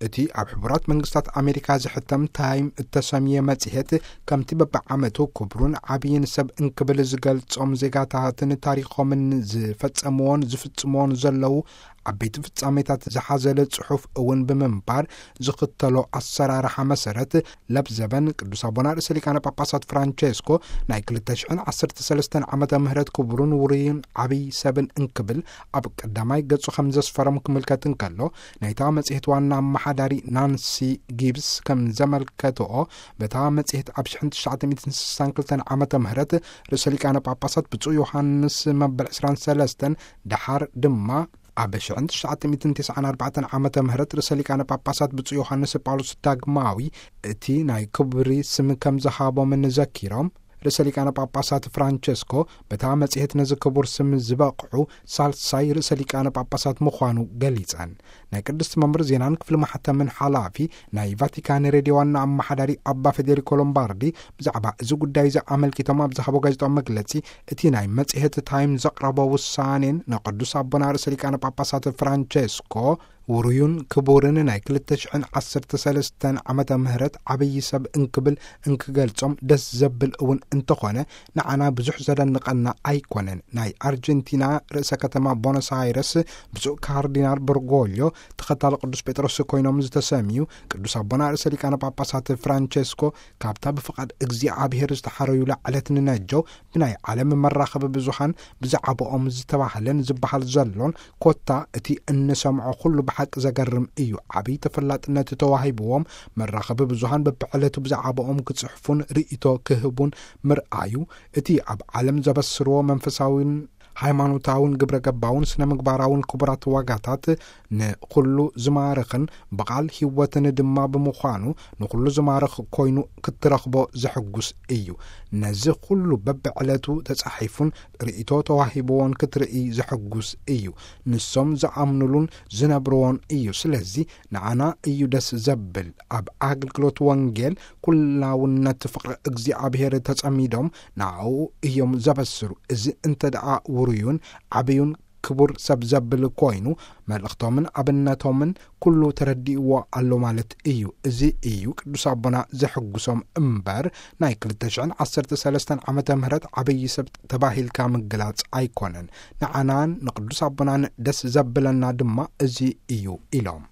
እቲ ኣብ ሕቡራት መንግስታት ኣሜሪካ ዝሕተም ታይም እተሰምየ መጽሔት፣ ከምቲ በብዓመቱ ክብሩን ዓብይን ሰብ እንክብል ዝገልጾም ዜጋታትን ታሪኾምን ዝፈጸምዎን ዝፍጽምዎን ዘለዉ ዓበይቲ ፍጻሜታት ዝሓዘለ ጽሑፍ እውን ብምንባር፣ ዝኽተሎ ኣሰራርሓ መሰረት፣ ለብዘበን ቅዱስ ኣቦና ርእሰ ሊቃነ ጳጳሳት ፍራንቸስኮ ናይ ክልተ ሽሕን ዓሰርተ ሰለስተን ዓመተ ምህረት ክቡርን ውሩይን ዓብይ ሰብን እንክብል ኣብ ቀዳማይ ገጹ ከም ዘስፈሮም ክምልከት እንከሎ፣ ናይታ መጽሔት ዋና ኣመሓዳሪ ናንሲ ጊብስ ከም ዘመልከትኦ፣ በታ መጽሔት ኣብ ሽሕን ትሽዓተ ሚእትን ስሳን ክልተን ዓመተ ምህረት ርእሰ ሊቃነ ጳጳሳት ብፁዕ ዮሃንስ መበል ዕስራን ሰለስተን፣ ደሓር ድማ ኣብ ሽሕን ትሽዓተ ሚእትን ተስዓን ኣርባዕተን ዓመተ ምህረት ርእሰ ሊቃነ ጳጳሳት ብፁዕ ዮሃንስ ጳውሎስ ዳግማዊ እቲ ናይ ክብሪ ስም ከም ዝሃቦምን ዘኪሮም፣ ርእሰ ሊቃነ ጳጳሳት ፍራንቸስኮ በታ መጽሔት ነዚ ክቡር ስም ዝበቕዑ ሳልሳይ ርእሰ ሊቃነ ጳጳሳት ምዃኑ ገሊጸን። ናይ ቅድስቲ መንበር ዜናን ክፍሊ ማሕተምን ሓላፊ ናይ ቫቲካን ሬድዮ ዋና ኣመሓዳሪ ኣባ ፌዴሪኮ ሎምባርዲ ብዛዕባ እዚ ጉዳይ እዚ ኣመልኪቶም ኣብ ዝሃቦ ጋዜጣዊ መግለጺ፣ እቲ ናይ መጽሔት ታይም ዘቕረቦ ውሳኔን ንቅዱስ ኣቦና ርእሰ ሊቃነ ጳጳሳት ፍራንቸስኮ ውሩዩን ክቡርን ናይ ክልተ ሽሕን ዓሰርተ ሰለስተን ዓመተ ምህረት ዓብዪ ሰብ እንክብል እንክገልጾም ደስ ዘብል እውን እንተኾነ፣ ንዓና ብዙሕ ዘደንቐና ኣይኮነን። ናይ ኣርጀንቲና ርእሰ ከተማ ቦኖስ ኣይረስ ብፁዕ ካርዲናል በርጎልዮ ተኸታሊ ቅዱስ ጴጥሮስ ኮይኖም ዝተሰምዩ ቅዱስ ኣቦና ርእሰ ሊቃነ ጳጳሳት ፍራንቸስኮ፣ ካብታ ብፍቓድ እግዚኣብሔር ዝተሓረዩላ ዕለት ንነጀው ብናይ ዓለም መራኸቢ ብዙሃን ብዛዕባኦም ዝተባህለን ዝበሃል ዘሎን፣ ኮታ እቲ እንሰምዖ ኩሉ ብሓቂ ዘገርም እዩ። ዓብዪ ተፈላጥነት ተዋሂብዎም፣ መራኸቢ ብዙሃን በብዕለቱ ብዛዕባኦም ክጽሕፉን ርእይቶ ክህቡን ምርኣዩ፣ እቲ ኣብ ዓለም ዘበስርዎ መንፈሳዊን ሃይማኖታውን ግብረ ገባውን ስነ ምግባራውን ክቡራት ዋጋታት ንኹሉ ዝማርኽን ብቓል ህይወትን ድማ ብምዃኑ፣ ንኹሉ ዝማርኽ ኮይኑ ክትረኽቦ ዘሕጉስ እዩ። ነዚ ኩሉ በብዕለቱ ተጻሒፉን ርእይቶ ተዋሂብዎን ክትርኢ ዘሕጉስ እዩ። ንሶም ዝኣምኑሉን ዝነብርዎን እዩ። ስለዚ ንዓና እዩ ደስ ዘብል። ኣብ ኣገልግሎት ወንጌል ኩላውነት ፍቕሪ እግዚኣብሔር ተጸሚዶም ንዓኡ እዮም ዘበስሩ። እዚ እንተ ደኣ ውሩዩን ዓብዩን ክቡር ሰብ ዘብል ኮይኑ፣ መልእኽቶምን ኣብነቶምን ኩሉ ተረዲእዎ ኣሎ ማለት እዩ። እዚ እዩ ቅዱስ ኣቦና ዘሕጉሶም እምበር፣ ናይ ክልተ ሽሕን ዓሰርተ ሰለስተን ዓመተ ምህረት ዓብዪ ሰብ ተባሂልካ ምግላጽ ኣይኮነን። ንዓናን ንቅዱስ ኣቦናን ደስ ዘብለና ድማ እዚ እዩ ኢሎም።